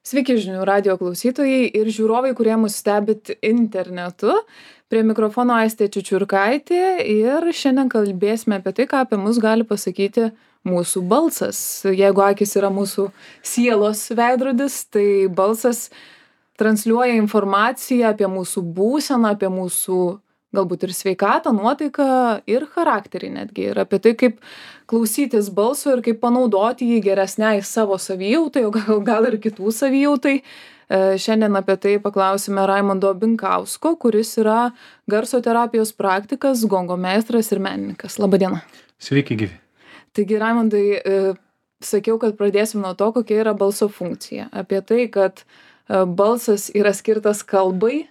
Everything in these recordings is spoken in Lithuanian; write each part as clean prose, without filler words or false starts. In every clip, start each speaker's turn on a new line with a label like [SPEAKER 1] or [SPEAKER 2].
[SPEAKER 1] Sveiki žinių radijo klausytojai ir žiūrovai, kurie mus stebit internetu. Prie mikrofono Aistė Čiučiurkaitė ir šiandien kalbėsime apie tai, ką apie mus gali pasakyti mūsų balsas. Jeigu akys yra mūsų sielos veidrodis, tai balsas transliuoja informaciją apie mūsų būseną, apie mūsų galbūt ir sveikatą, nuotaiką ir charakterį netgi. Ir apie tai, kaip klausytis balso ir kaip panaudoti jį geresniai savo savijautai, o gal ir kitų savijautai. Šiandien apie tai paklausime Raimondo Binkausko, kuris yra garso terapijos praktikas, gongo meistras ir menininkas. Labadiena.
[SPEAKER 2] Sveiki gyvi.
[SPEAKER 1] Taigi, Raimondai, sakiau, kad pradėsim nuo to, kokia yra balso funkcija. Apie tai, kad balsas yra skirtas kalbai.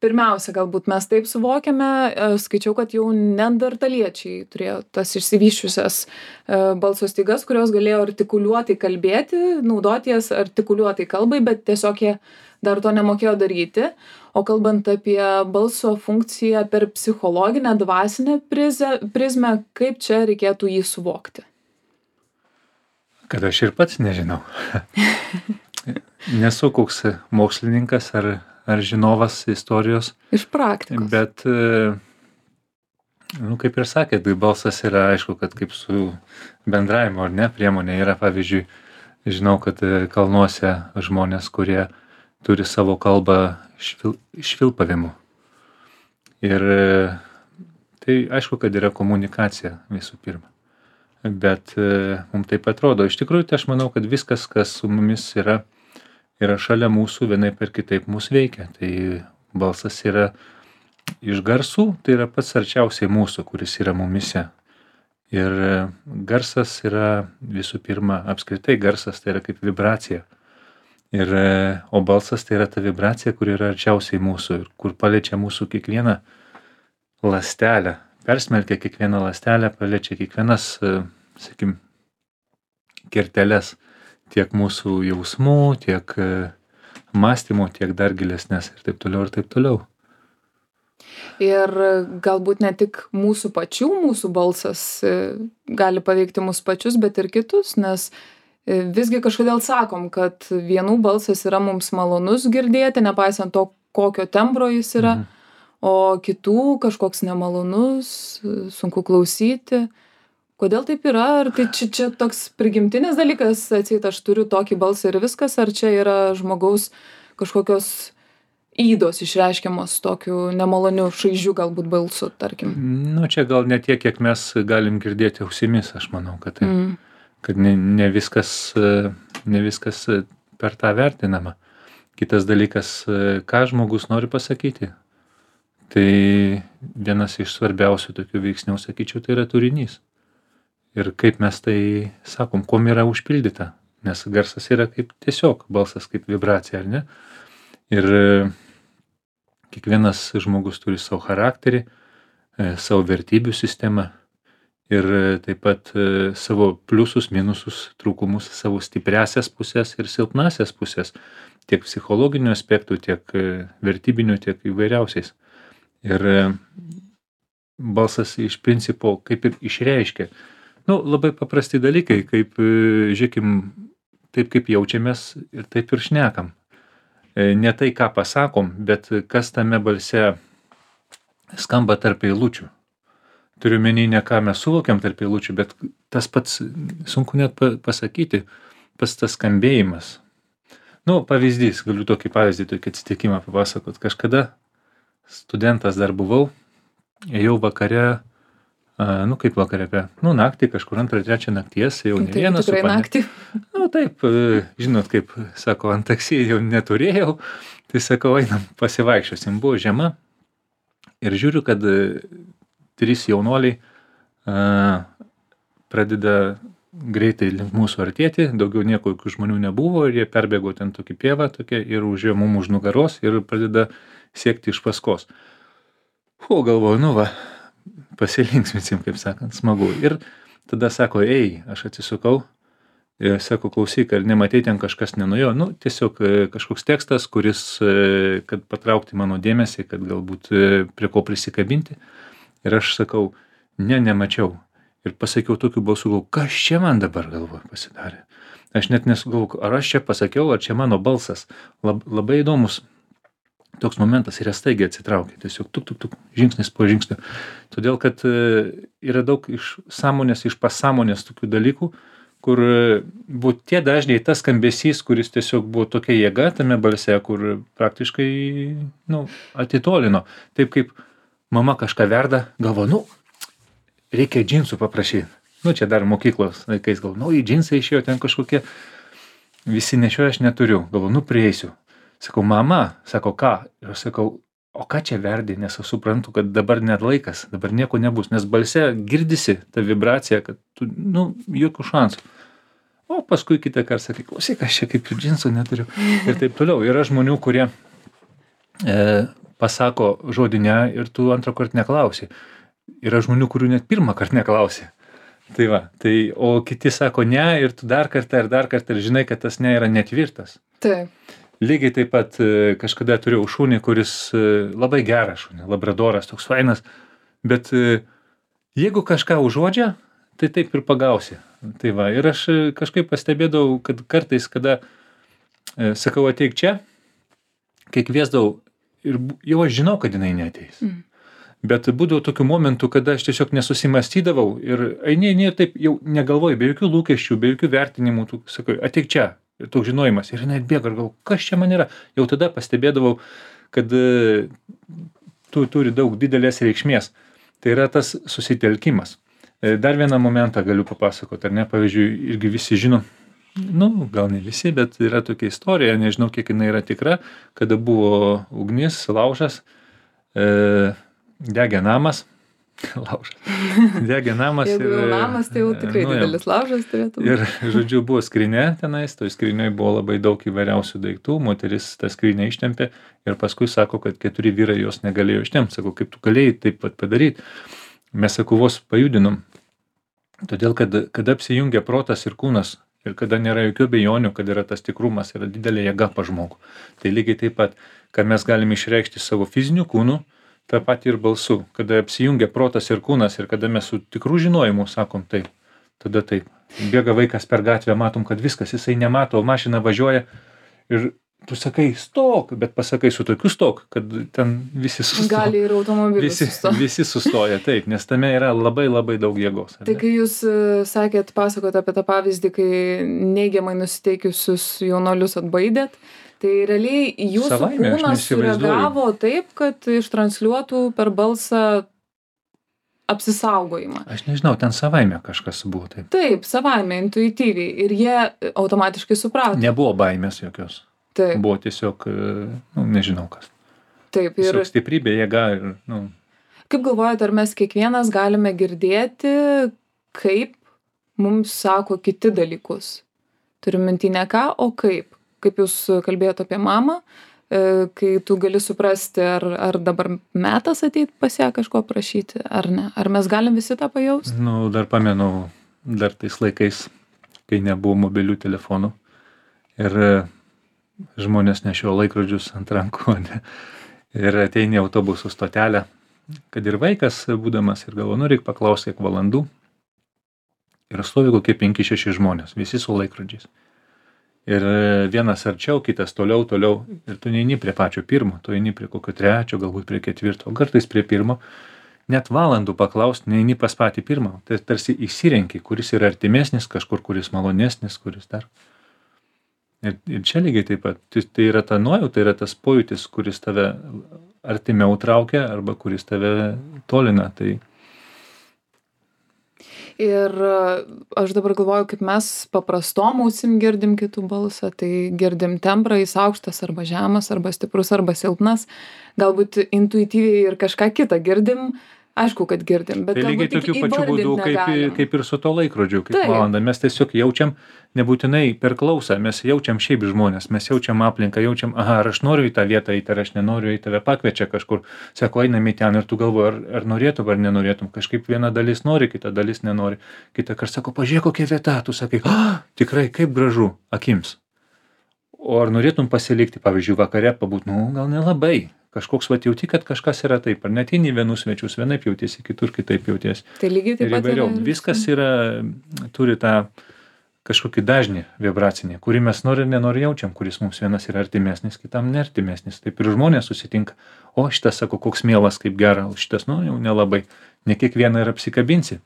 [SPEAKER 1] Pirmiausia, galbūt mes taip suvokiame, skaičiau, kad jau neandertaliečiai turėjo tas išsivysčiusias balso stygas, kurios galėjo artikuliuotai kalbėti, naudoties artikuliuotai kalbai, bet tiesiog jie dar to nemokėjo daryti. O kalbant apie balso funkciją per psichologinę, dvasinę prizmę, kaip čia reikėtų jį suvokti?
[SPEAKER 2] Kad aš ir pats nežinau. Nesu koks mokslininkas ar žinovas istorijos.
[SPEAKER 1] Iš praktikos.
[SPEAKER 2] Bet, kaip ir sakėt, balsas yra, aišku, kad kaip su bendravimo ar ne priemonė yra, pavyzdžiui, žinau, kad kalnuose žmonės, kurie turi savo kalbą švilpavimu. Ir tai aišku, kad yra komunikacija visų pirma. Bet mums taip atrodo. Iš tikrųjų, tai aš manau, kad viskas, kas su mumis yra šalia mūsų, vienaip ir kitaip mūsų veikia. Tai balsas yra iš garsų, tai yra pats arčiausiai mūsų, kuris yra mumise. Ir garsas yra visų pirma, apskritai garsas tai yra kaip vibracija. O balsas tai yra ta vibracija, kur yra arčiausiai mūsų ir kur paliečia mūsų kiekvieną ląstelę. Persmelkia kiekvieną ląstelę, paliečia kiekvienas, sakim, kerteles. Tiek mūsų jausmų, tiek mąstymų, tiek dar gilesnės ir taip toliau ir taip toliau.
[SPEAKER 1] Ir galbūt ne tik mūsų pačių, mūsų balsas gali paveikti mūsų pačius, bet ir kitus, nes visgi kažkodėl sakom, kad vienų balsas yra mums malonus girdėti, nepaisant to, kokio tembro jis yra, o kitų kažkoks nemalonus, sunku klausyti. Kodėl taip yra? Ar tai čia toks prigimtinis dalykas, atseit aš turiu tokį balsą ir viskas, ar čia yra žmogaus kažkokios ydos išreiškiamos tokiu nemaloniu šaižiu galbūt balsu, tarkim?
[SPEAKER 2] Čia gal ne tiek, kiek mes galim girdėti ausimis, aš manau, kad tai, kad ne viskas per tą vertinama. Kitas dalykas, ką žmogus nori pasakyti. Tai vienas iš svarbiausių tokių veiksnių, sakyčiau, tai yra turinys. Ir kaip mes tai sakom, kuom yra užpildyta, nes garsas yra kaip tiesiog balsas, kaip vibracija, ar ne? Ir kiekvienas žmogus turi savo charakterį, savo vertybių sistemą ir taip pat savo pliusus, minusus, trūkumus, savo stipriasias pusės ir silpnasias pusės, tiek psichologinių aspektų, tiek vertybinių, tiek įvairiausiais. Ir balsas iš principo kaip ir išreiškia. Labai paprasti dalykai, kaip, žiūrėkim, taip kaip jaučiamės ir taip ir šnekam. Ne tai, ką pasakom, bet kas tame balse skamba tarp eilučių. Turiu menį ne ką mes suvokiam tarp eilučių, bet tas pats, sunku net pasakyti, pats tas skambėjimas. Pavyzdys, galiu tokį pavyzdį, tokį atsitikimą papasakot. Kažkada studentas dar buvau, ėjau vakare, kaip vakare, naktį, kažkur 2-3 nakties, jau ne vienas.
[SPEAKER 1] Tikrai naktį.
[SPEAKER 2] Taip, žinot, kaip sako, ant taksi jau neturėjau, tai sakau, einam pasivaikščiosim, buvo žiema ir žiūriu, kad 3 jaunuoliai pradeda greitai link mūsų artėti, daugiau nieko jokių žmonių nebuvo ir jie perbėgo ten tokį pievą ir užėjo mum už nugaros ir pradeda siekti iš paskos. Galvoju, pasilinksminsim, kaip sakant, smagu. Ir tada sako, aš atsisukau, ir sako, klausyk, ar nematei ten kažkas nenuėjo. Tiesiog kažkoks tekstas, kuris, kad patraukti mano dėmesį, kad galbūt prie ko prisikabinti. Ir aš sakau, nemačiau. Ir pasakiau tokiu balsu, kas čia man dabar galvoje pasidarė. Aš net nesugalvoju, ar aš čia pasakiau, ar čia mano balsas. Labai įdomus toks momentas ir jie staigiai atsitraukia. Tiesiog tuk, žingsnis po žingsnio. Todėl, kad yra daug iš sąmonės, iš pasąmonės tokių dalykų, kur buvo tie dažniai tas skambesys, kuris tiesiog buvo tokia jėga tame balse, kur praktiškai, atitolino. Taip kaip mama kažką verda, galvo, reikia džinsų paprašyti. Čia dar mokyklos laikais gal, į džinsai išėjo ten kažkokie, visi nešioja, aš neturiu. Galvo, prieisiu. Sakau, mama, sako, ką? Ir aš sakau, o ką čia verdi, nes aš suprantu, kad dabar net laikas, dabar nieko nebus, nes balse girdisi ta vibracija, kad tu, jokių šansų. O paskui kitą kartą sakai, klausyk, aš čia kaip džinsų neturiu. Ir taip toliau. Yra žmonių, kurie pasako žodį ne ir tu antrą kartą neklausi. Yra žmonių, kurių net pirmą kartą neklausi. Tai va, o kiti sako ne ir tu dar kartą ir žinai, kad tas ne yra netvirtas.
[SPEAKER 1] Taip.
[SPEAKER 2] Lygiai taip pat kažkada turėjau šunį, kuris labai geras šunį, labradoras, toks fainas, bet jeigu kažką užuodžia, tai taip ir pagausi. Tai va, ir aš kažkaip pastebėdavau, kad kartais, kada sakau ateik čia, kai kviesdavau, ir jau aš žinau, kad jinai neateis. Bet būdavo tokių momentų, kada aš tiesiog nesusimastydavau ir eini ir taip jau negalvoju, be jokių lūkesčių, be jokių vertinimų, tu sakai, ateik čia. Ir toks žinojimas. Ir jinai atbėga ir galvoju, kas čia man yra. Jau tada pastebėdavau, kad tu turi daug didelės reikšmės. Tai yra tas susitelkimas. Dar vieną momentą galiu papasakoti, ar ne? Pavyzdžiui, irgi visi žino, gal ne visi, bet yra tokia istorija, nežinau, kiek jinai yra tikra, kada buvo ugnis, laužas, degė namas, degė namas.
[SPEAKER 1] Jeigu jau namas, tai jau tikrai didelis laužas turėtų.
[SPEAKER 2] Ir, žodžiu, buvo skrinė tenais, toj skrinėj buvo labai daug įvairiausių daiktų, moteris tą skrinę ištempė ir paskui sako, kad 4 vyrai jos negalėjo ištempti. Sako, kaip tu galėjai taip pat padaryti? Mes, sako, vos pajudinom. Todėl, kad apsijungia protas ir kūnas ir kada nėra jokių abejonių, kad yra tas tikrumas, yra didelė jėga pa žmogų. Tai lygiai taip pat, kad mes galime išreikšti savo fiziniu kūnu, tą patį ir balsu, kada apsijungia protas ir kūnas ir kada mes su tikrų žinojimu sakom taip, tada taip. Bėga vaikas per gatvę, matom, kad viskas, jisai nemato, mašina važiuoja ir tu sakai stok, bet pasakai su tokiu stok, kad ten visi sustoja.
[SPEAKER 1] Gali ir automobilis sustoja.
[SPEAKER 2] Visi sustoja, taip, nes tame yra labai labai daug jėgos.
[SPEAKER 1] Tai kai jūs pasakot apie tą pavyzdį, kai neigiamai nusiteikiusius jaunuolius atbaidėt, tai realiai jūsų kūnas sureagavo taip, kad ištransliuotų per balsą apsisaugojimą.
[SPEAKER 2] Aš nežinau, ten savaime kažkas buvo taip.
[SPEAKER 1] Taip, savaime, intuityviai. Ir jie automatiškai suprato.
[SPEAKER 2] Nebuvo baimės jokios.
[SPEAKER 1] Taip.
[SPEAKER 2] Buvo tiesiog, nežinau kas.
[SPEAKER 1] Taip. Ir
[SPEAKER 2] tiesiog stiprybė, jėga ir,
[SPEAKER 1] Kaip galvojate, ar mes kiekvienas galime girdėti, kaip mums sako kiti dalykus? Turiu minty ne ką, o kaip? Kaip jūs kalbėjote apie mamą, kai tu gali suprasti, ar dabar metas ateit pas ją kažko prašyti, ar ne? Ar mes galim visi tą pajausti?
[SPEAKER 2] Dar pamenu, dar tais laikais, kai nebuvo mobilių telefonų ir žmonės nešiojo laikrodžius ant rankų ir ateini į autobusų stotelę, kad ir vaikas būdamas ir galvo, reikia paklausti, kiek valandų. Ir stovi kokie 5-6 žmonės, visi su laikrodžiais. Ir vienas arčiau, kitas toliau, ir tu neini prie pačio pirmo, tu eini prie kokio 3, galbūt prie 4, kartais prie 1, net valandų paklausti, neini pas patį pirmą, tai tarsi įsirenki, kuris yra artimesnis, kažkur, kuris malonesnis, kuris dar. Ir čia lygiai taip pat, tai yra ta nuojauta, tai yra tas pojūtis, kuris tave artimiau traukia, arba kuris tave tolina, tai
[SPEAKER 1] Ir aš dabar galvoju, kaip mes paprastom ausim girdim kitų balsą, tai girdim tembrą, jis aukštas arba žemas, arba stiprus, arba silpnas. Galbūt intuityviai ir kažką kitą girdim, aišku, kad girdim, bet
[SPEAKER 2] tai lygiai tokiu pačiu būdu, kaip ir su to laikrodžiu, kaip valanda. Mes tiesiog jaučiam, nebūtinai per klausą, mes jaučiam šiaip žmonės, mes jaučiam aplinką, jaučiam, ar aš noriu į tą vietą eiti, ar aš nenoriu, į tave pakviečia kažkur, sako, einam į ten ir tu galvoji, ar norėtum, ar nenorėtum. Kažkaip viena dalis nori, kita dalis nenori. Kita kart sako, pažiūrėk, kokia vieta, tu sakai, tikrai, kaip gražu akims. O ar norėtum pasilikti, pavyzdžiui, vakare pabūt, gal nelabai. Kažkoks jauti, kad kažkas yra taip, ar net į vienus svečius vienaip jautiesi, kitur kitaip jautiesi.
[SPEAKER 1] Tai lygiai taip pat
[SPEAKER 2] yra. Viskas yra, turi tą kažkokį dažnį vibracinį, kurį mes nori ir nenori jaučiam, kuris mums vienas yra artimesnis, kitam neartimesnis. Taip ir žmonės susitinka. O šitas sako, koks mielas, kaip gera, o šitas, nu, jau nelabai. Ne kiekvieną ir apsikabinsi.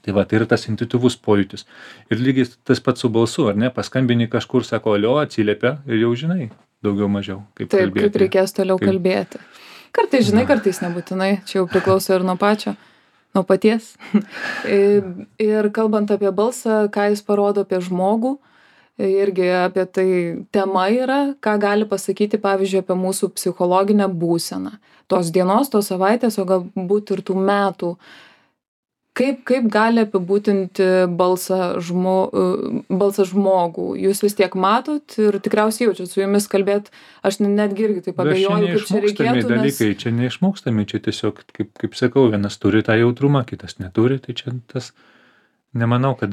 [SPEAKER 2] Tai va, tai yra tas intuityvus pojūtis. Ir lygiai tas pats su balsu, ar ne? Paskambini kažkur, sako, alio, atsiliepia ir jau žinai daugiau mažiau, kaip
[SPEAKER 1] Taip,
[SPEAKER 2] kalbėti.
[SPEAKER 1] kaip reikės toliau kalbėti. Kartais žinai, kartais nebūtinai. Čia jau priklauso ir nuo pačio. Nuo paties. Ir kalbant apie balsą, ką jis parodo apie žmogų, irgi apie tai tema yra, ką gali pasakyti, pavyzdžiui, apie mūsų psichologinę būseną. Tos dienos, tos savaitės, o galbūt ir tų metų. Kaip gali apibūdinti balsą žmogų? Jūs vis tiek matot ir tikriausiai jaučiat su jumis kalbėt, aš netgi irgi taip abejoju, kaip čia reikėtų.
[SPEAKER 2] Dalykai, čia neišmokstami, čia tiesiog, kaip sakau, vienas turi tą jautrumą, kitas neturi, tai čia tas, nemanau, kad,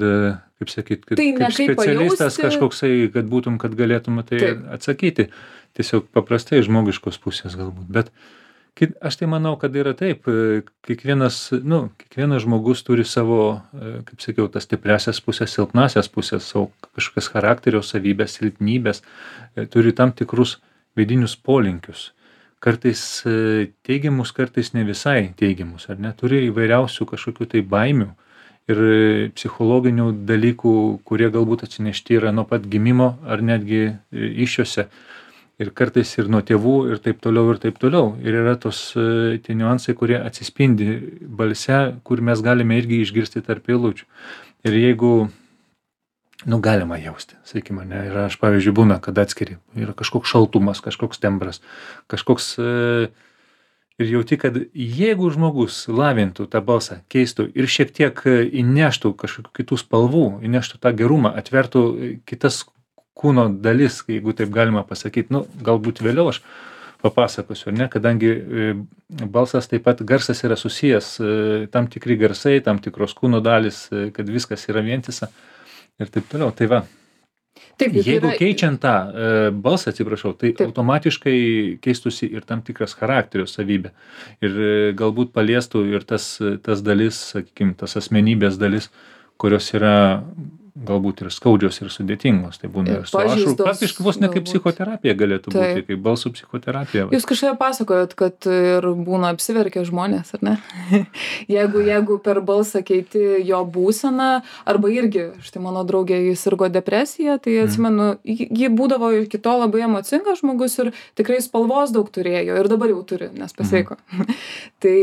[SPEAKER 2] kaip sakyt, kad
[SPEAKER 1] tai
[SPEAKER 2] kaip specialistas kažkoksai, kad būtum, kad galėtum tai atsakyti. Tiesiog paprastai žmogiškos pusės galbūt, bet aš tai manau, kad yra taip, kiekvienas žmogus turi savo, kaip sakiau, tas stipriasias pusės, silpnasias pusės, savo kažkokias charakterio savybės, silpnybės, turi tam tikrus vidinius polinkius. Kartais teigiamus, kartais ne visai teigiamus, ar ne? Turi įvairiausių kažkokių tai baimių ir psichologinių dalykų, kurie galbūt atsinešti yra nuo pat gimimo ar netgi iššiose. Ir kartais ir nuo tėvų ir taip toliau ir taip toliau. Ir yra tie niuansai, kurie atsispindi balse, kur mes galime irgi išgirsti tarp eilučių. Ir jeigu, galima jausti, sakykime, ne, ir aš, pavyzdžiui, būna, kad atskiri, yra kažkoks šaltumas, kažkoks tembras, kažkoks, ir jauti, kad jeigu žmogus lavintų tą balsą, keistų ir šiek tiek įneštų kažkokių kitų spalvų, įneštų tą gerumą, atvertų kitas kūno dalis, jeigu taip galima pasakyti, galbūt vėliau aš papasakosiu, ne, kadangi balsas taip pat garsas yra susijęs, tam tikri garsai, tam tikros kūno dalis, kad viskas yra vientisa ir taip toliau. Tai va,
[SPEAKER 1] taip,
[SPEAKER 2] jeigu keičiant tą balsą, atsiprašau, tai automatiškai keistusi ir tam tikras charakterio savybė. Ir galbūt paliestų ir tas dalis, sakykime, tas asmenybės dalis, kurios yra galbūt ir skaudžios ir sudėtingos. Tai būna ir su ašarų. Praktiškai vos ne kaip psichoterapija galėtų būti, kaip balsų psichoterapija.
[SPEAKER 1] Jūs kažką pasakojot, kad ir būna apsiverkę žmonės, ar ne? jeigu per balsą keiti jo būseną, arba irgi, štai mano draugė, jis sirgo depresija, tai atsimenu, ji būdavo iki to labai emocingas žmogus ir tikrai spalvos daug turėjo ir dabar jau turi, nes pasveiko. Tai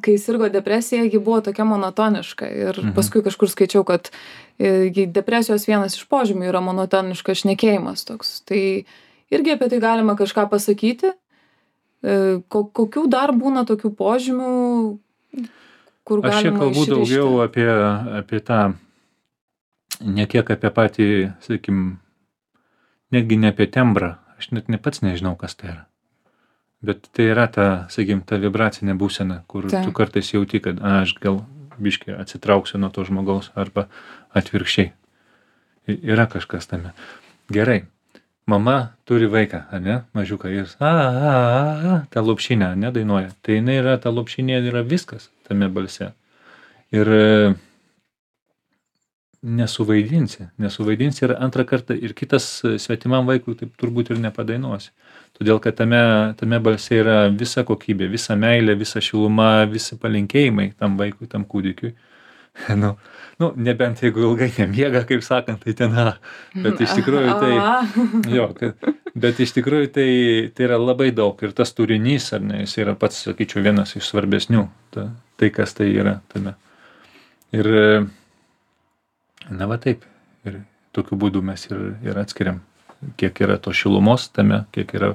[SPEAKER 1] kai sirgo depresija, ji buvo tokia monotoniška ir paskui kažkur skaičiau, kad depresijos vienas iš požymių yra monotoniškas šnekėjimas toks. Tai irgi apie tai galima kažką pasakyti. Kokių dar būna tokių požymių, kur galima išrišti?
[SPEAKER 2] Aš čia kalbu daugiau apie tą, ne kiek apie patį, sakykim, netgi ne apie tembrą. Aš net pats nežinau, kas tai yra. Bet tai yra ta, sakykim, ta vibracinė būsena, kur tu kartais jauti, kad aš gal biškį atsitrauksiu nuo to žmogaus arba atvirkščiai. Yra kažkas tame. Gerai. Mama turi vaiką, ne, mažiuką, ir tą lopšinę, ne, dainuoja. Tai jinai yra, ta lopšinė yra viskas tame balse. Ir nesuvaidinsi ir antrą kartą ir kitas svetimam vaikui taip turbūt ir nepadainuosi. Todėl, kad tame balse yra visa kokybė, visa meilė, visa šiluma, visi palinkėjimai tam vaikui, tam kūdikiui. Nebent jeigu ilgai nemiega, kaip sakant, tai ten, bet iš tikrųjų bet iš tikrųjų tai yra labai daug ir tas turinys, ar ne, jis yra pats, sakyčiau, vienas iš svarbesnių, tai kas tai yra tame. Ir, va taip, ir tokiu būdu mes ir atskiriam, kiek yra to šilumos tame, kiek yra.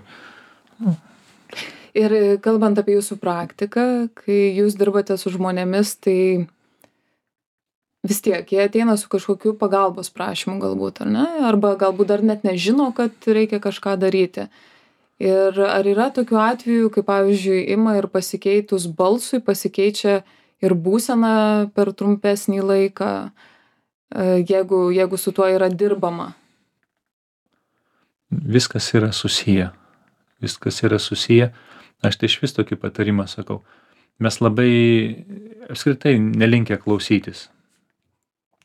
[SPEAKER 1] Ir kalbant apie jūsų praktiką, kai jūs dirbate su žmonėmis, tai vis tiek jie ateina su kažkokiu pagalbos prašymu galbūt, ar ne? Arba galbūt dar net nežino, kad reikia kažką daryti. Ir ar yra tokių atvejų, kai pavyzdžiui ima ir pasikeitus balsui pasikeičia ir būsena per trumpesnį laiką, jeigu su tuo yra dirbama?
[SPEAKER 2] Viskas yra susiję. Aš tai išvis tokį patarimą sakau. Mes labai apskritai nelinkę klausytis.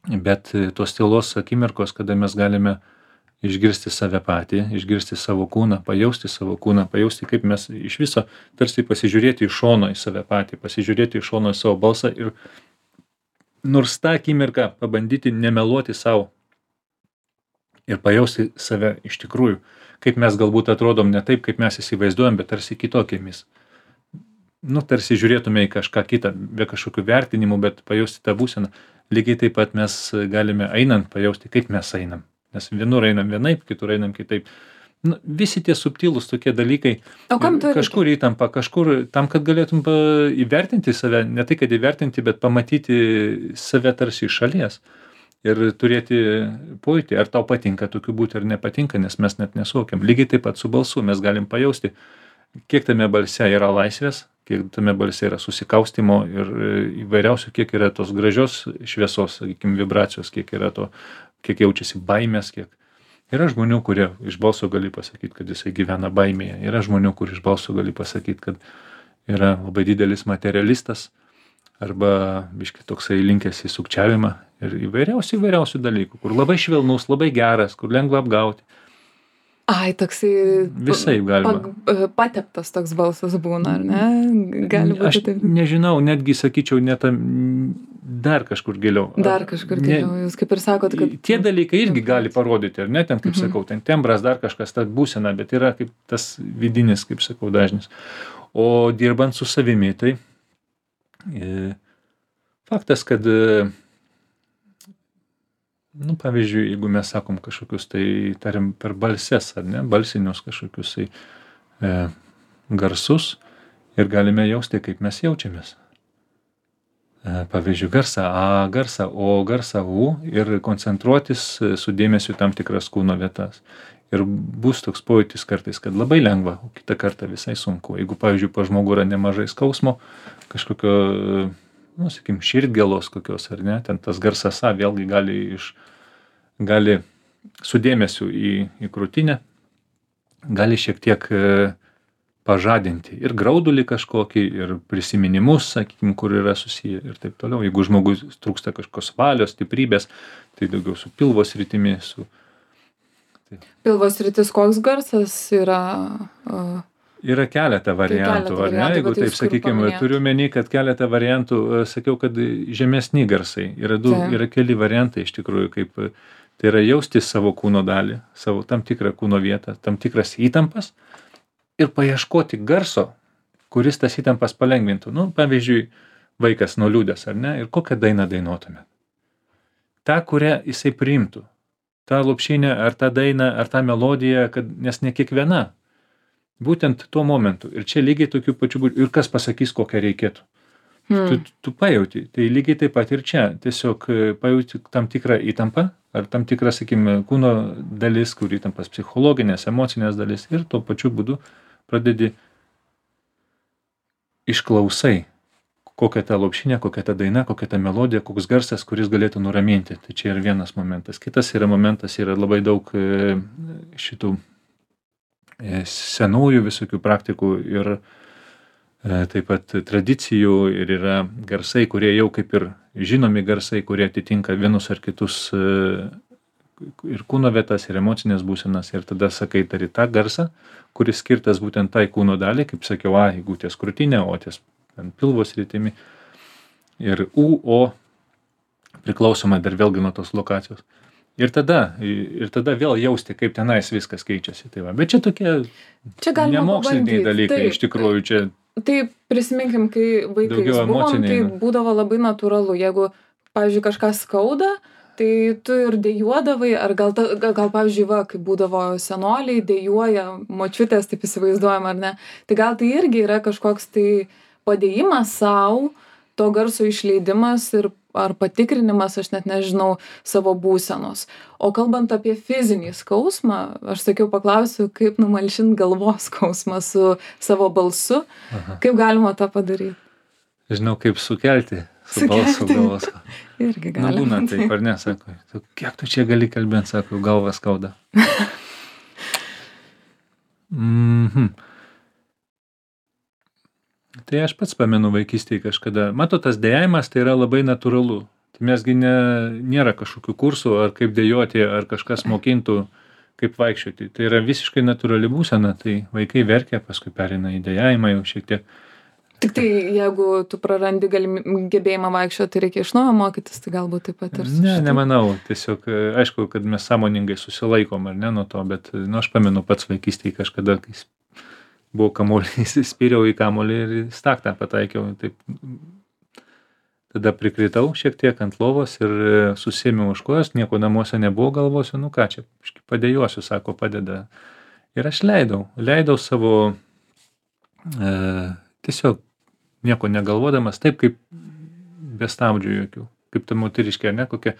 [SPEAKER 2] bet tos tylos akimirkos, kada mes galime išgirsti save patį, išgirsti savo kūną, pajausti, kaip mes iš viso tarsi pasižiūrėti iš šono į save patį, pasižiūrėti iš šono į savo balsą ir nors tą akimirką pabandyti nemeluoti savo ir pajausti save iš tikrųjų, kaip mes galbūt atrodom ne taip, kaip mes įsivaizduojam, bet tarsi kitokiamis. Nu, tarsi žiūrėtume į kažką kitą, be kažkokių vertinimų, bet pajausti tą būseną. Lygiai taip pat mes galime einant pajausti, kaip mes einam. Nes vienur einam vienaip, kitur einam kitaip. Nu, visi tie subtilūs tokie dalykai.
[SPEAKER 1] O kam to reikia?
[SPEAKER 2] Kažkur įtampa, kažkur tam, kad galėtum įvertinti save, ne tai, kad įvertinti, bet pamatyti save tarsi iš šalies. Ir turėti pojūtį, ar tau patinka tokiu būti, ar nepatinka, nes mes net nesuvokiam. Lygiai taip pat su balsu mes galim pajausti, kiek tame balse yra laisvės, kiek tame balse yra susikaustimo ir įvairiausių, kiek yra tos gražios šviesos, sakykime, vibracijos, kiek yra to, kiek jaučiasi baimės, kiek. Yra žmonių, kurie iš balso gali pasakyti, kad jisai gyvena baimėje. Yra žmonių, kur iš balso gali pasakyti, kad yra labai didelis materialistas arba biškai toksai linkęs į sukčiavimą ir įvairiausių dalykų, kur labai švelnus, labai geras, kur lengva apgauti.
[SPEAKER 1] Ai, toksai
[SPEAKER 2] Visaip galima.
[SPEAKER 1] Pateptas toks balsas būna, ar ne? Gali būti
[SPEAKER 2] Aš
[SPEAKER 1] taip.
[SPEAKER 2] nežinau, netgi sakyčiau, dar kažkur giliau.
[SPEAKER 1] Dar kažkur giliau, jūs kaip ir sakot, kad...
[SPEAKER 2] Tie dalykai irgi gali parodyti, ar ne, ten, kaip sakau, ten tembras, dar kažkas, ta būsena, bet yra kaip tas vidinis, kaip sakau, dažnis. O dirbant su savimi, tai faktas, kad nu, pavyzdžiui, jeigu mes sakom kažkokius, tai tarim per balses, ar ne, balsinius kažkokius tai garsus ir galime jausti, kaip mes jaučiamės. Pavyzdžiui, garsą A, garsą O, garsą U ir koncentruotis su dėmesiu tam tikras kūno vietas. Ir bus toks pojūtis kartais, kad labai lengva, o kitą kartą visai sunku. Jeigu, pavyzdžiui, pa žmogų yra nemažai skausmo, kažkokio, nu, sakykim, širdgėlos kokios, ar ne, ten tas garsas A vėlgi gali su dėmesiu į krūtinę, gali šiek tiek pažadinti ir graudulį kažkokį, ir prisiminimus, sakykim, kur yra susiję ir taip toliau. Jeigu žmogus trūksta kažkokios valios, stiprybės, tai daugiau su pilvo sritimi.
[SPEAKER 1] Pilvo sritis koks garsas yra?
[SPEAKER 2] Yra keletą variantų, ar ne? Jeigu taip, sakykime, turiu meni, kad keletą variantų, sakiau, kad žemesni garsai. Yra keli variantai iš tikrųjų, kaip tai yra jausti savo kūno dalį, savo tam tikrą kūno vietą, tam tikras įtampas ir paieškoti garso, kuris tas įtampas palengvintų. Nu, pavyzdžiui, vaikas nuliūdęs, ar ne? Ir kokią dainą dainuotume? Ta, kurią jisai priimtų. Ta lopšinė, ar ta daina, ar ta melodija, nes ne kiekviena. Būtent tuo momentu. Ir čia lygiai tokių pačių būdų. Ir kas pasakys, kokią reikėtų. Tu pajauti. Tai lygiai taip pat ir čia. Tiesiog pajauti tam tikrą įtampą, ar tam tikrą, sakykime, kūno dalis, kur įtampas psichologinės, emocinės dalis. Ir tuo pačiu būdu pradedi išklausai, kokia ta lopšinė, kokia ta daina, kokia ta melodija, koks garsas, kuris galėtų nuraminti. Tai čia yra vienas momentas. Kitas yra momentas, yra labai daug šitų senųjų visokių praktikų ir taip pat tradicijų ir yra garsai, kurie jau kaip ir žinomi garsai, kurie atitinka vienus ar kitus ir kūno vietas, ir emocinės būsenas. Ir tada sakai, tari tą garsą, kuris skirtas būtent tai kūno dalį, kaip sakiau, A, jeigu ties krūtinė, O ties pilvo sritimi. Ir U, O priklausomai dar vėlgi nuo tos lokacijos. Ir tada vėl jausti, kaip tenais viskas keičiasi. Tai va. Bet čia tokie nemoksliniai dalykai, iš tikrųjų čia.
[SPEAKER 1] Tai prisiminkim, kai vaikais buvom, tai būdavo labai natūralu. Jeigu, pavyzdžiui, kažką skauda, tai tu ir dejuodavai, ar gal pavyzdžiui, kai būdavo senoliai, dejuoja močiutės, taip įsivaizduojam, ar ne. Tai gal tai irgi yra kažkoks tai padėjimas savo, to garso išleidimas ir ar patikrinimas, aš net nežinau, savo būsenos. O kalbant apie fizinį skausmą, aš sakiau, paklausiu, kaip numalšinti galvos skausmą su savo balsu. Aha. Kaip galima tą padaryti?
[SPEAKER 2] Žinau, kaip sukelti su balsu galvos.
[SPEAKER 1] Irgi galima.
[SPEAKER 2] Na, būna taip, ar ne, sako, kiek tu čia gali kalbėti, sako, galva skauda. Tai aš pats pamenu vaikystėje kažkada. Matot, tas dejavimas tai yra labai natūralu. Tai mesgi nėra kažkokių kursų, ar kaip dejoti, ar kažkas mokintų, kaip vaikščioti. Tai yra visiškai natūrali būsena, tai vaikai verkia, paskui pereina į dejavimą jau šiek tiek.
[SPEAKER 1] Tik tai jeigu tu prarandi gebėjimą vaikščioti, tai reikia iš naujo mokytis, tai galbūt taip pat ir
[SPEAKER 2] Nemanau. Tiesiog, aišku, kad mes sąmoningai susilaikom, ar ne, nuo to, bet, aš pamenu pats vaikystėje kažkada, kai buvo kamuolys, spyriau į kamuolį ir staktą pataikiau. Taip, tada prikritau šiek tiek ant lovos ir susėmiau už kojos, nieko namuose nebuvo, galvosiu, ką čia, padėjuosiu, sako, padeda. Ir aš leidau savo tiesiog nieko negalvodamas, taip kaip be stabdžių jokių, kaip ta moteriškė, ne, kokia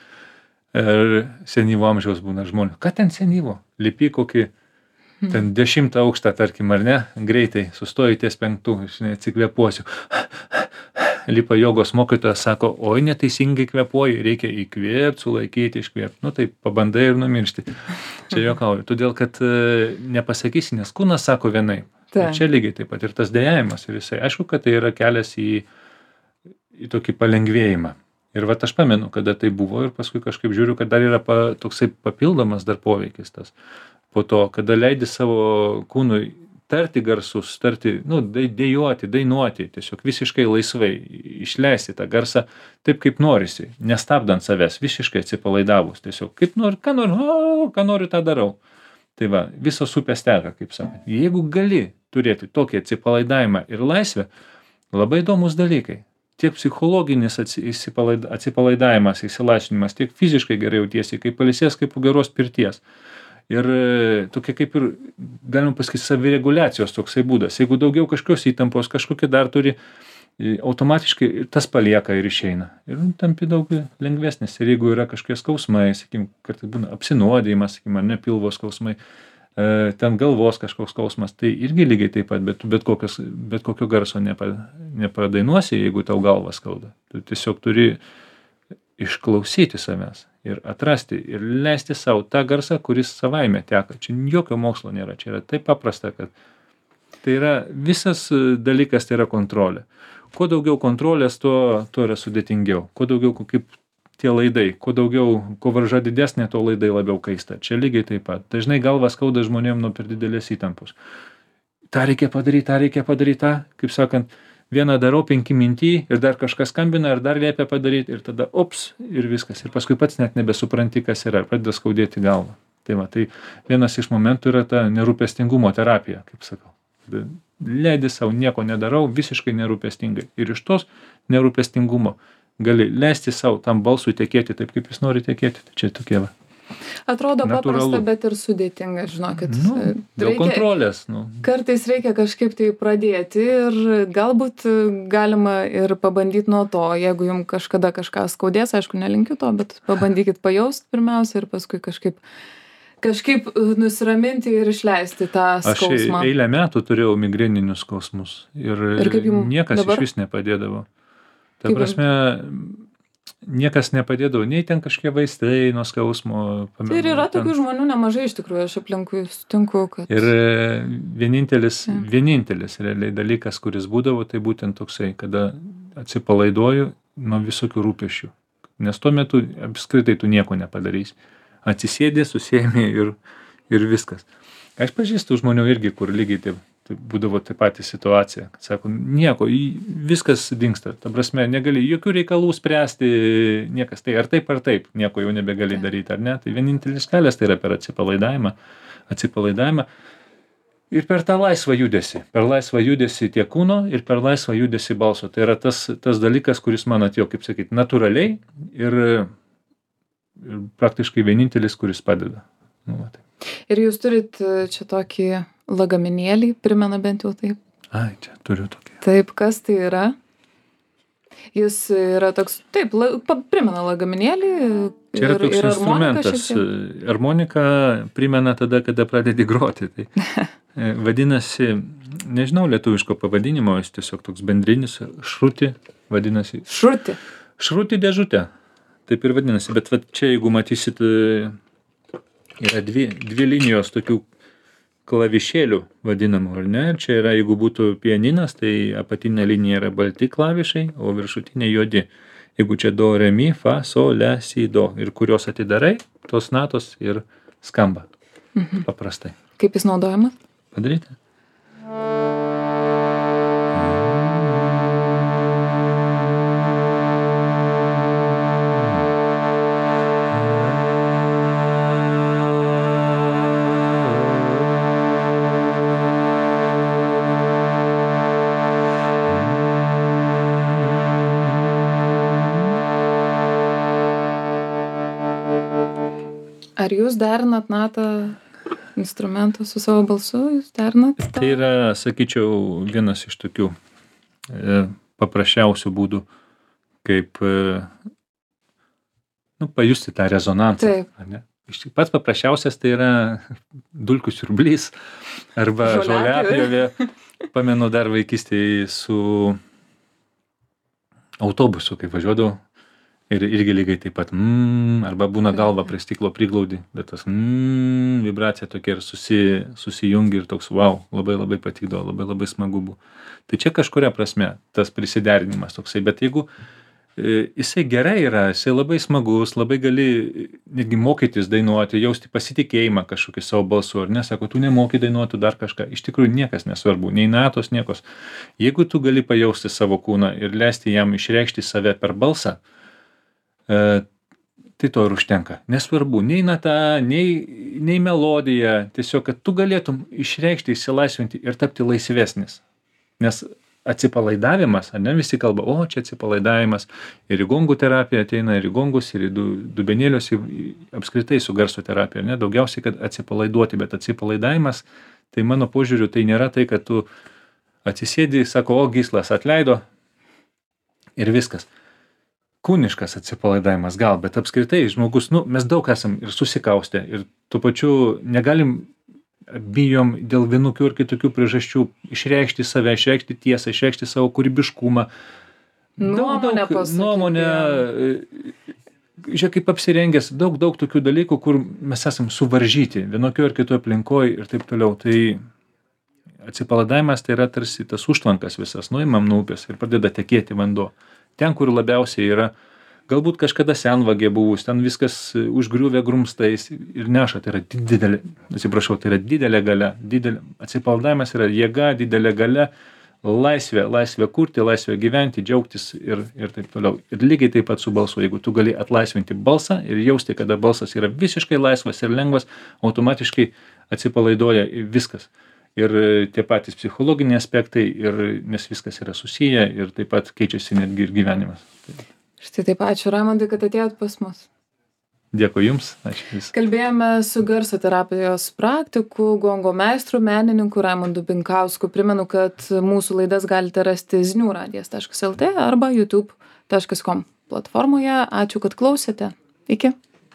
[SPEAKER 2] senyvo amžiaus būna žmonės. Ką ten senyvo? Lipi kokį ten 10 aukštą, tarkim, ar ne, greitai sustoji ties 5, atsikvėpuosiu. Lipa jogos mokytojas, sako, oi, neteisingai kvėpuoji, reikia įkvėpti, sulaikyti, iškvėpti. Nu, tai pabandai ir numiršti. Čia juokauju. Todėl, kad nepasakysi, nes kūnas sako vienai. Tai čia lygiai taip pat ir tas dejavimas. Ir jisai, aišku, kad tai yra kelias į tokį palengvėjimą. Ir vat aš pamenu, kada tai buvo ir paskui kažkaip žiūriu, kad dar yra toksai papildomas dar poveikis tas. Po to, kada leidi savo kūnui tarti garsus, dejuoti, dainuoti, tiesiog visiškai laisvai išleisti tą garsą taip, kaip norisi, nestabdant savęs, visiškai atsipalaidavus, tiesiog kaip noriu, ką noriu, tą darau. Tai va, visos upės teka, kaip sakant. Jeigu gali turėti tokį atsipalaidavimą ir laisvę, labai įdomus dalykai. Tiek psichologinis atsipalaidavimas, įsilašinimas, tiek fiziškai gerai jautiesi, kaip pailsės, kaip po geros pirties. Ir tokia kaip ir, galima pasakyti, savireguliacijos toksai būdas. Jeigu daugiau kažkokios įtampos, kažkokia dar turi, automatiškai tas palieka ir išeina. Ir tampi daug lengvesnis. Ir jeigu yra kažkokie skausmai, sakykim, kartais būna apsinuodijimas, sakykim, ar ne pilvo skausmai, ten galvos kažkoks skausmas, tai irgi lygiai taip pat, bet kokio garso nepadainuosi, jeigu tau galvą skauda. Tu tiesiog turi išklausyti savęs ir atrasti ir leisti savo tą garsą, kuris savaime teka. Čia jokio mokslo nėra, čia yra taip paprasta, kad tai yra visas dalykas, tai yra kontrolė. Kuo daugiau kontrolės, tuo yra sudėtingiau. Kuo daugiau kaip tie laidai, kuo varža didesnė, tuo laidai labiau kaista. Čia lygiai taip pat. Dažnai galva skauda žmonėm nuo per didelės įtampos. tą reikia padaryt, kaip sakant, vieną darau, 5 minty ir dar kažkas skambina ir dar liepia padaryti ir tada ops ir viskas. Ir paskui pats net nebesupranti, kas yra, pradeda skaudėti galvą. Tai va, tai vienas iš momentų yra ta nerūpestingumo terapija, kaip sakau. Leidi savo, nieko nedarau, visiškai nerūpestingai. Ir iš tos nerūpestingumo gali leisti savo tam balsui tekėti taip, kaip jis nori tekėti. Tai čia tokie va.
[SPEAKER 1] Atrodo paprasta, bet ir sudėtinga, žinokit.
[SPEAKER 2] Dėl kontrolės.
[SPEAKER 1] Kartais reikia kažkaip tai pradėti ir galbūt galima ir pabandyti nuo to, jeigu jums kažkada kažką skaudės, aišku, nelinkiu to, bet pabandykit pajaust pirmiausia ir paskui kažkaip nusiraminti ir išleisti tą skausmą.
[SPEAKER 2] Aš eilę metų turėjau migreninius skausmus ir niekas iš vis nepadėdavo. Ta prasme, niekas nepadėdavo, nei ten kažkokie vaistai nuo skausmo.
[SPEAKER 1] Tai ir yra tokių žmonių nemažai iš tikrųjų, aš aplinkui sutinku, kad...
[SPEAKER 2] Ir vienintelis realiai dalykas, kuris būdavo, tai būtent toksai, kada atsipalaiduoju nuo visokių rūpesčių. Nes tuo metu apskritai tu nieko nepadarysi. Atsisėdė, susėmė ir viskas. Aš pažįstu žmonių irgi, kur lygiai taip būdavo taip pati situacija, kad sako, nieko, viskas dingsta, ta prasme, negali jokių reikalų spręsti, niekas, tai ar taip, nieko jau nebegali daryti, ar ne, tai vienintelis kelias tai yra per atsipalaidavimą ir per tą laisvą judesį tiek kūno ir per laisvą judesį balso, tai yra tas dalykas, kuris man atėjo, kaip sakyti, natūraliai ir praktiškai vienintelis, kuris padeda.
[SPEAKER 1] Ir jūs turit čia tokį lagaminėlį, primena bent jau taip?
[SPEAKER 2] Ai, čia turiu tokį.
[SPEAKER 1] Taip, kas tai yra? Jis yra toks, taip, primena lagaminėlį.
[SPEAKER 2] Čia yra toks instrumentas. Harmonika primena tada, kada pradedi groti. Tai vadinasi, nežinau lietuviško pavadinimo, jis tiesiog toks bendrinis, šruti vadinasi.
[SPEAKER 1] Šruti?
[SPEAKER 2] Šruti dėžutė. Taip ir vadinasi, bet va, čia jeigu matysit, yra dvi linijos tokių klavišėlių vadinamų, ar ne? Čia yra, jeigu būtų pianinas, tai apatinė linija yra balti klavišai, o viršutinė juodi. Jeigu čia do, re, mi, fa, sol, le, si, do ir kurios atidarai, tos natos ir skamba. Paprastai.
[SPEAKER 1] Kaip jis naudojamas?
[SPEAKER 2] Padaryti?
[SPEAKER 1] Ar jūs derinat natą instrumentą su savo balsu? Jūs derinat?
[SPEAKER 2] Tai yra, sakyčiau, vienas iš tokių paprasčiausių būdų, kaip pajusti tą rezonansą.
[SPEAKER 1] Taip.
[SPEAKER 2] Ar ne? Pats paprasčiausias tai yra dulkių siurblys arba žoliapjovė. Pamenu dar vaikystėje su autobusu, kai važiuodavau. Ir irgi lygiai taip pat, arba būna galva prie stiklo priglaudi, bet tas vibracija tokia ir susijungi ir toks, wow, labai labai patikdavo, labai labai smagu buvo. Tai čia kažkuria prasme tas prisiderinimas toksai, bet jeigu jisai gerai yra, jisai labai smagus, labai gali netgi mokytis dainuoti, jausti pasitikėjimą kažkokį savo balsu, ar ne, sako, tu nemoki dainuoti dar kažką, iš tikrųjų niekas nesvarbu, nei natos, niekos. Jeigu tu gali pajausti savo kūną ir leisti jam išreikšti save per balsą, tai to ir užtenka. Nesvarbu, nei nata, nei melodija, tiesiog, kad tu galėtum išreikšti, išsilaisvinti ir tapti laisvesnis. Nes atsipalaidavimas, ar ne, visi kalba, o čia atsipalaidavimas, ir į gongų terapiją ateina, ir į gongus, ir į dubenėlius, apskritai su garso terapija, ne, daugiausiai, kad atsipalaiduoti, bet atsipalaidavimas, tai mano požiūriu, tai nėra tai, kad tu atsisėdi, sako, o gyslas atleido ir viskas. Kūniškas atsipalaidavimas gal, bet apskritai žmogus, mes daug esam ir susikaustę ir tuo pačiu negalim, bijom dėl vienokių ir kitokių priežasčių išreikšti save, išreikšti tiesą, išreikšti savo kūrybiškumą. Nuomonę, žiūrėk, kaip apsirengęs, daug tokių dalykų, kur mes esam suvaržyti vienokių ir kitoje aplinkoje ir taip toliau. Tai atsipalaidavimas tai yra tarsi tas užtvankas visas, nuimam nuo upės ir pradeda tekėti vanduo. Ten, kur labiausiai yra, galbūt kažkada senvagė buvus, ten viskas užgriuvę grumstais ir neša, tai yra didelė galia, atsipalaidavimas yra jėga, didelė galia, laisvė kurti, laisvė gyventi, džiaugtis ir taip toliau. Ir lygiai taip pat su balsu, jeigu tu gali atlaisvinti balsą ir jausti, kada balsas yra visiškai laisvas ir lengvas, automatiškai atsipalaiduoja viskas. Ir tie patys psichologiniai aspektai, nes viskas yra susiję ir taip pat keičiasi netgi ir gyvenimas.
[SPEAKER 1] Štai taip, ačiū Raimondai, kad atėjot pas mus.
[SPEAKER 2] Dėkui Jums, ačiū Jūs.
[SPEAKER 1] Kalbėjome su garso terapijos praktiku, gongo meistru, menininku Raimondu Binkausku. Primenu, kad mūsų laidas galite rasti ziniuradijas.lt arba youtube.com platformoje. Ačiū, kad klausėte. Iki.